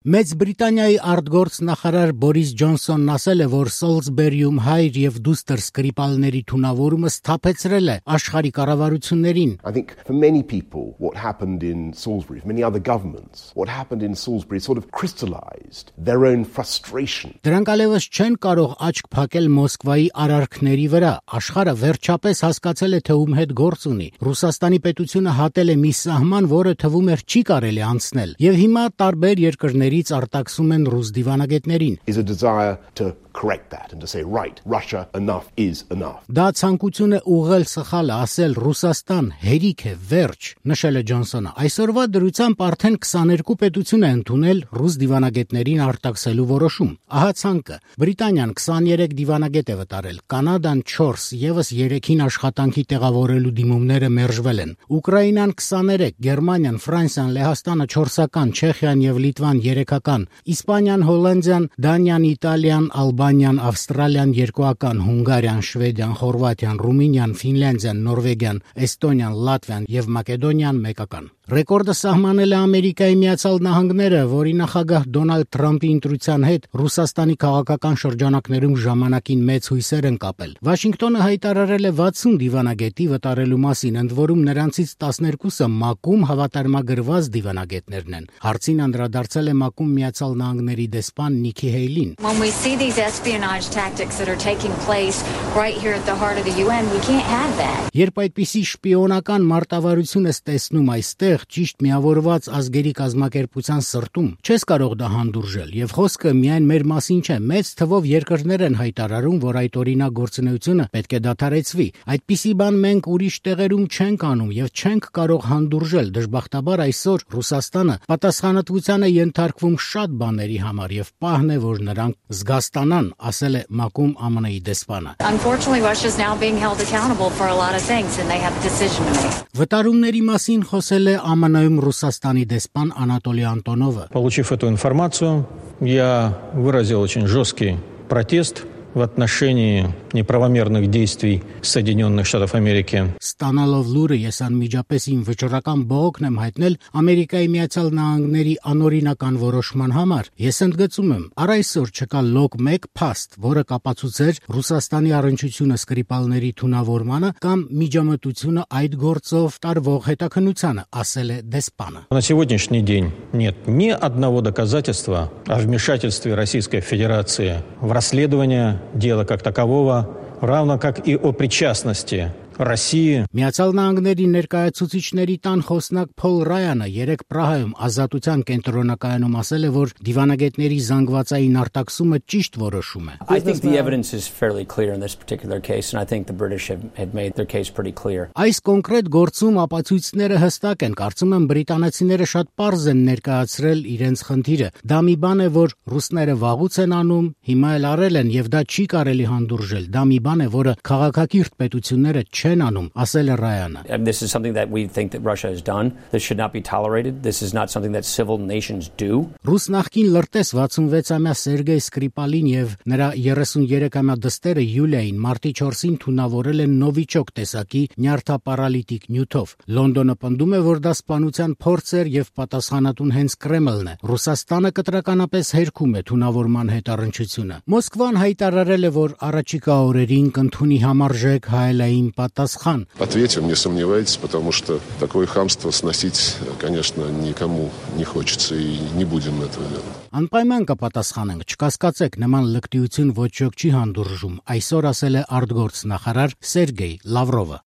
Մեծ Բրիտանիայի արտգործ նախարար Բորիս Ջոնսոնն ասել է, որ Սոլսբերիում հայր եւ դուստր սկրիպալների թունավորումը սթափեցրել է աշխարհի կառավարություններին. I think for many people what happened in Salisbury, for many other governments, what happened in Salisbury sort of crystallized their own frustration. Դրանք allևս չեն կարող աչք փակել Մոսկվայի արարքների վրա. Աշխարհը վերջապես հասկացել է, թե ում հետ գործ ունի. Ռուսաստանի պետությունը հատել է մի սահման, որը թվում էր չի կարելի անցնել. Եվ հիմա տարբեր երկրներ արտաքսում են ռուս դիվանագետներին. Is a desire to correct that and to say, right, Russia, enough is enough. Դա ցանկություն է ուղղել սխալը, ասել Ռուսաստան հերիք է, վերջ, նշել է Ջոնսոնը. Այսօրվա դրությամբ արդեն 22 պետություն է ընդունել ռուս դիվանագետներին արտաքսելու որոշում. Ահա ցանկը. Բրիտանիան 23 դիվանագետ է վտարել, Կանադան 4, եւս 3-ին աշխատանքի տեղավորելու դիմումները մերժվել են. Ուկրաինան 23, Գերմանիան, Ֆրանսիան, Լեհաստանը 4-ական, Չեխիան եւ Լիտվան 3-ական, Իսպանիան, Հոլանդիան, Դանիան, Իտալիան, Ալբանիան, Ավստրալիան 2-ական, Հունգարիան, Շվեդիան, Խորվաթիան, Ռումինիան, Ֆինլանդիան, Նորվեգիան, Էստոնիան, Լատվիան եւ Մակեդոնիան 1-ական. Ռեկորդը սահմանել է Ամերիկայի Միացյալ Նահանգները, որի նախագահ Դոնալդ Թրամփի ընտրության հետ Ռուսաստանի քաղաքական շրջանակներում ժամանակին մեծ հույսեր են կապել. Վաշինգտոնը հայտարարել է 60 դիվանագետի վտարելու մասին, ընդ որում նրանցից 12-ը ՄԱԿ-ում հավատարմագրված դիվանագետներն են. Հարցին անդրադարձել է ՄԱԿ-ում Միացյալ Նահանգների դեսպան Նիքի Հեյլին. When we see these espionage tactics that are taking place right here at the heart of the UN, we can't have that. Երբ այդպիսի շպիոնական մարտավարություն ես տեսնում այստեղ ճիշտ միավորված ազգերի կազմակերպության սրտում, չես կարող դա հանդուրժել, եւ խոսքը միայն մեր մասին չէ, մեծ թվով երկրներ են հայտարարում, որ այդ օրինակ գործունեությունը պետք է դադարեցվի. Այդպիսի բան մենք ուրիշ տեղերում չենք անում եւ չենք կարող հանդուրժել. Դժբախտաբար այսօր Ռուսաստանը պատասխանատվության է ենթարկվում շատ բաների համար եւ պահն է, որ նրանք զգաստանան, ասել է ՄԱԿ-ում ԱՄՆ-ի դեսպանը. Unfortunately, Russia is now being held accountable for a lot of things and they have a decision to make. Վտարումների մասին խոսել է ԱՄՆ-ում Ռուսաստանի դեսպան Անատոլի Անտոնովը. Получив эту информацию, я выразил очень жесткий протест в отношении неправомерных действий Соединенных Штатов Америки. Ստանալով լուրը ես անմիջապես իմ վճռական բողոքն եմ հայտնել Ամերիկայի Միացյալ Նահանգների անօրինական որոշման համար. Ես ընդգծում եմ, առ այսօր չկա լոկ 1 փաստ, որը կապացուցեր Ռուսաստանի առնչությունը սկրիպալների թունավորմանը կամ միջամտությունը այդ գործով տարվող հետաքննությանը, ասել է դեսպանը. На сегодняшний день нет ни одного доказательства о вмешательстве Российской Федерации в расследование дела как такового, равно как и о причастности России. Միացյալ Նահանգների ներկայացուցիչների տան խոսնակ Փոլ Ռայանը երեկ Պրահայում ազատության կենտրոնակայանում ասել է, որ դիվանագետների զանգվածային արտաքսումը ճիշտ որոշում է. I think the evidence is fairly clear in this particular case and I think the British have made their case pretty clear. Այս կոնկրետ գործում ապացույցները հստակ են, կարծում եմ բրիտանացիները շատ պարզ են ներկայացրել իրենց խնդիրը. Դա մի բան է, որ ռուսները վաղուց են անում, հիմա էլ արել են եւ դա չի կարելի հանդուրժել. Դա մի բան է, որը քաղաքակիրթ պետությունները չեն անում, ասել է Ռայանը. This is something that we think that Russia has done. This should not be tolerated. This is not something that civil nations do. Ռուս նախկին լրտես 66-ամյա Սերգեյ Սկրիպալին եւ նրա 33-ամյա դստերը Յուլիային մարտի 4-ին թունավորել են նովիչոկ տեսակի նյարդապարալիտիկ նյութով։ Լոնդոնը պնդում է, որ դա սպանության փորձ էր եւ պատասխանատուն հենց Կրեմլն է։ Ռուսաստանը կտրականապես հերքում է թունավորման հետ առնչությունը։ Մոսկվան հայտարարել է, որ առաջիկա օրերին կընդունի համարժեք հայելային պատասխան. Ответим, не сомневайтесь, потому что такое хамство сносить, конечно, никому не хочется и не будем этого делать. Անպայման կպատասխանենք, չկասկածեք, նման լկտիություն ոչ ոք չի հանդուրժում, այսօր ասել է արտգործ նախարար Սերգեյ Լավրովը.